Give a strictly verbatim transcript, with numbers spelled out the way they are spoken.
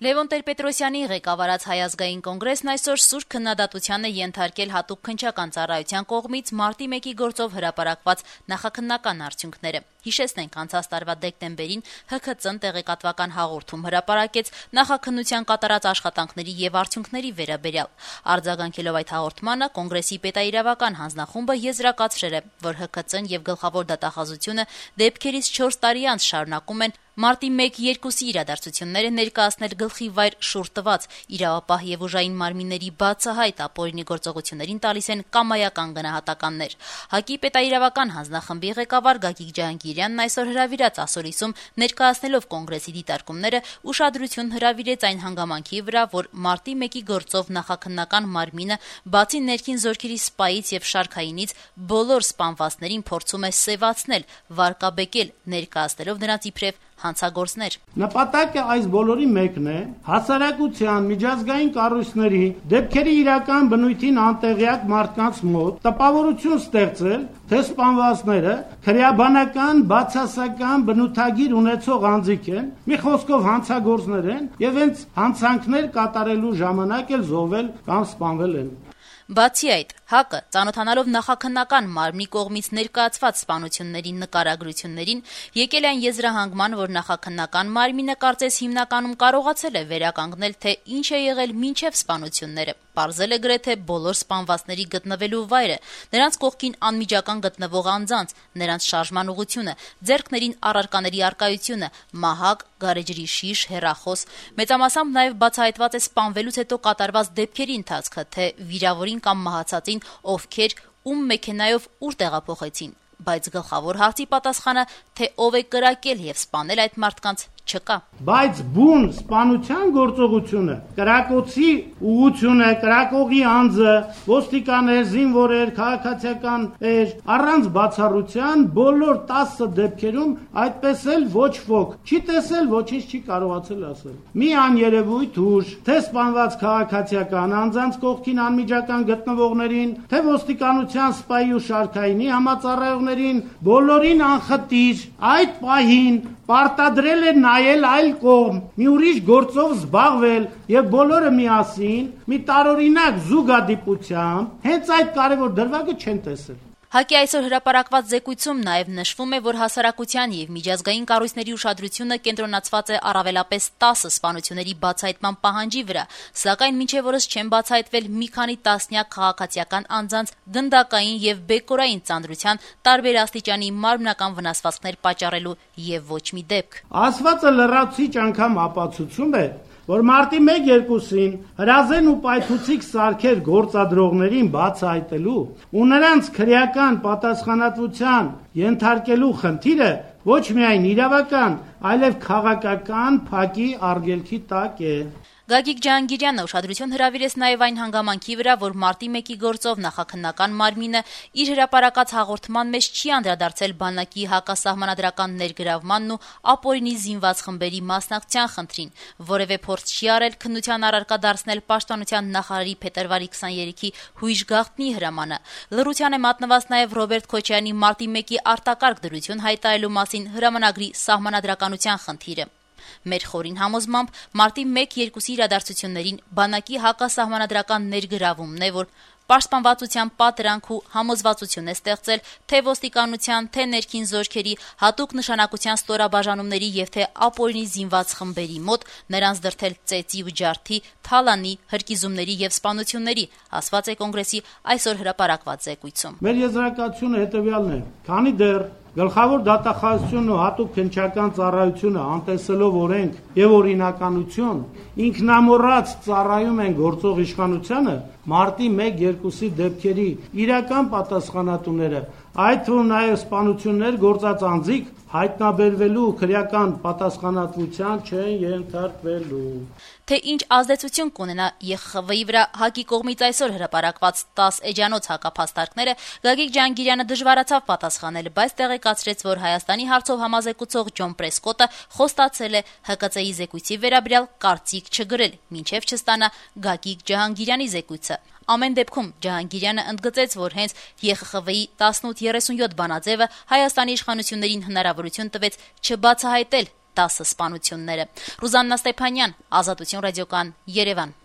Լևոն Տեր-Պետրոսյանի ղեկավարած Հայ ազգային կոնգրեսն այսօր սուր քննադատության է ենթարկել հատուկ քննչական ծառայության կողմից մարտի մեկի գործով հրապարակված նախաքննական արդյունքները։ Հիշեցնենք, անցած տարվա դեկտեմբերին Հ K Ծ-ն տեղեկատվական հաղորդում հրապարակեց նախաքննության կատարած աշխատանքների եւ արդյունքների վերաբերյալ։ Արձագանքելով այդ հաղորդմանը, կոնգրեսի պետաիրավական հանձնախումբը եզրակացրել է, որ Հ K Ծ-ն եւ գլխավոր դատախազությունը դեպքերից չորս տարի անց շարունակում են մարտի մեկ-երկուսի իրադարձությունները ներկայացնել գլխի վայր շուռ տված, իրավապահ եւ ուժային մարմինների բացահայտ ապօրինի գործողություններին տալիս են կամայական գնահատականներ։ ՀԱԿ-ի պետաիրավական հանձնախմբի ղեկավար Գագիկ Ջահանգիրյանն այսօր հրավիրած ասորիսում ներկայացնելով կոնգրեսի դիտարկումները ուշադրություն հրավիրեց այն հանգամանքի վրա, որ մարտի մեկի գործով նախաքննական մարմինը բացի ներքին զորքերի սպայից եւ շարքայինից բոլոր սպանվածներին փորձում է սեւացնել, վարկաբեկել, ներկայացնելով նրանց իբրև հանցագործներ։ Նպատակը այս բոլորի մեկն է հասարակության միջազգային կառույցների դեպքերի իրական բնույթին անտեղյակ մարդկանց մոտ տպավորություն ստեղծել, թե սպանվածները քրեաբանական բացասական բնութագիր ունեցող անձիկ են, մի խոսքով հանցագործներ են եւ հենց հանցանքներ կատարելու ժամանակ էլ զոհվել կամ սպանվել են։ Բացի այդ, ՀԱԿ-ը, ծանոթանալով նախաքննական մարմնի կողմից ներկայացված սպանությունների նկարագրություններին, եկել այն եզրահանգման, որ նախաքննական մարմինը կարծես հիմնականում կարողացել է վերականգնել, թե ինչ է եղել մինչև սպանությունները, պարզել է գրեթե բոլոր սպանվածների գտնվելու վայրը, նրանց կողքին անմիջական գտնվող անձանց, նրանց շարժման ուղղությունը, ձեռքներին առարկաների առկայությունը, մահակ, գարեջրի շիշ, հեռախոս, մեծամասամբ նաև բացահայտված է սպանվելուց հետո կատարված դեպքերի ընթացքը, թե վիրավորին կամ մահացածին ովքեր ում մեքենայով ուր տեղափոխեցին, բայց գլխավոր հարցի պատասխանը, թե ով է կրակել եւ սպանել այդ մարդկանց, չկա։ Բայց բուն սպանության գործողությունը, կրակոցի ուղղությունը, կրակողի անձը, ոստիկաներ, զինվորեր, քաղաքացիական էր, առանց բացառության բոլոր տասը դեպքերում այդպես էլ ոչ ոք չի տեսել, ոչինչ չի կարողացել ասել։ Մի աներևույթ ուժ, թե սպանված քաղաքացիական անձանց կողքին անմիջական գտնվողներին, թե ոստիկանության սպայի ու շարքայինի համածառայողներին, բոլորին անխտիր այդ պահին պարտադրել է նայել այլ կողմ, մի ուրիշ գործով զբաղվել եւ բոլորը միասին մի տարօրինակ զուգադիպությամբ հենց այդ կարևոր դրվագը չեն տեսել։ ՀԱԿ-ի այսօր հրապարակված զեկույցում նաև նշվում է, որ հասարակության եւ միջազգային կառույցների ուշադրությունը կենտրոնացված է առավելապես տասը սպանությունների բացահայտման պահանջի վրա, սակայն մինչև օրս չեն բացահայտվել մի քանի տասնյակ քաղաքացիական անձանց գնդակային եւ բեկորային ծանրության տարբեր աստիճանի մարմնական վնասվածքներ պատճառելու եւ ոչ մի դեպք։ Ասվածը լրացուցիչ անգամ ապացուցում է, որ մարտի մեկ-երկուսին հրազեն ու պայթուցիկ սարքեր գործադրողներին բացահայտելու ու նրանց քրեական պատասխանատվության ենթարկելու խնդիրը ոչ միայն իրավական, այլև քաղաքական փակի արգելքի տակ է։ Գագիկ Ջահանգիրյանը ուշադրություն հրավիրեց նաև այն հանգամանքի վրա, որ մարտի մեկի գործով նախաքննական մարմինը իր հրապարակած հաղորդման մեջ չի անդրադարձել բանակի հակասահմանադրական ներգրավմանն ու ապօրինի զինված խմբերի մասնակցության խնդրին, որևէ փորձ չի արել քննության առարկա դարձնել պաշտպանության նախարարի փետրվարի քսաներեքի հույժ գաղտնի հրամանը։ Լռության է մատնված նաև Ռոբերտ Քոչարյանի մարտի մեկի արտակարգ դրություն հայտարարելու մասին հրամանագրի սահմանադրականության խնդիրը։ Մեր խորին համոզմամբ մարտի մեկ-երկուսի իրադարձություններին բանակի հակասահմանադրական ներգրավումն է, որ պաշտպանվածության պատրանք ու համոզվածություն է ստեղծել թե ոստիկանության, թե ներքին զորքերի հատուկ նշանակության ստորաբաժանումների եւ թե ապօրինի զինված խմբերի մոտ նրանց դրդել ծեծի ու ջարդի, թալանի, հրկիզումների եւ սպանությունների, ասված է կոնգրեսի այսօր հրապարակված զեկույցում։ Մեր եզրակացությունը հետեւյալն է. քանի դեռ Գլխավոր դատախազությունն ու հատուկ քննչական ծառայությունը անտեսելով օրենք եւ օրինականություն ինքնամոռաց ծառայում են գործող իշխանությանը, մարտի մեկ-երկուսի դեպքերի իրական պատասխանատուները, այդ թվում նաև սպանություններ գործած անձիկ հայտնաբերվելու քրեական պատասխանատվության չեն ենթարկվելու։ Թե ինչ ազդեցություն կունենա Ե Խ Խ V-ի վրա ՀԱԿ-ի կողմից այսօր հրապարակված տաս էջանոց հակափաստարկները, Գագիկ Ջահանգիրյանը դժվարացավ պատասխանել, բայց տեղեկացրեց, որ Հայաստանի հարցով համազեկուցող Ջոն Պրեսկոտը խոստացել է Հ Կ Ծ-ի զեկույցի վերաբերյալ կարծիք չգրել, մինչև չստանա Գագիկ Ջահանգիրյանի զեկույցը։ Ամեն դեպքում Ջահանգիրյանը ընդգծեց, որ հենց Ե Խ Խ V-ի տասնութ երեսունյոթ բանաձևը Հայաստանի իշխանություններին հնարավորություն տվեց չբացահայտել դասը սպանությունները։ Ռուզաննա Ստեփանյան, Ազատություն ռադիոկան, Երևան։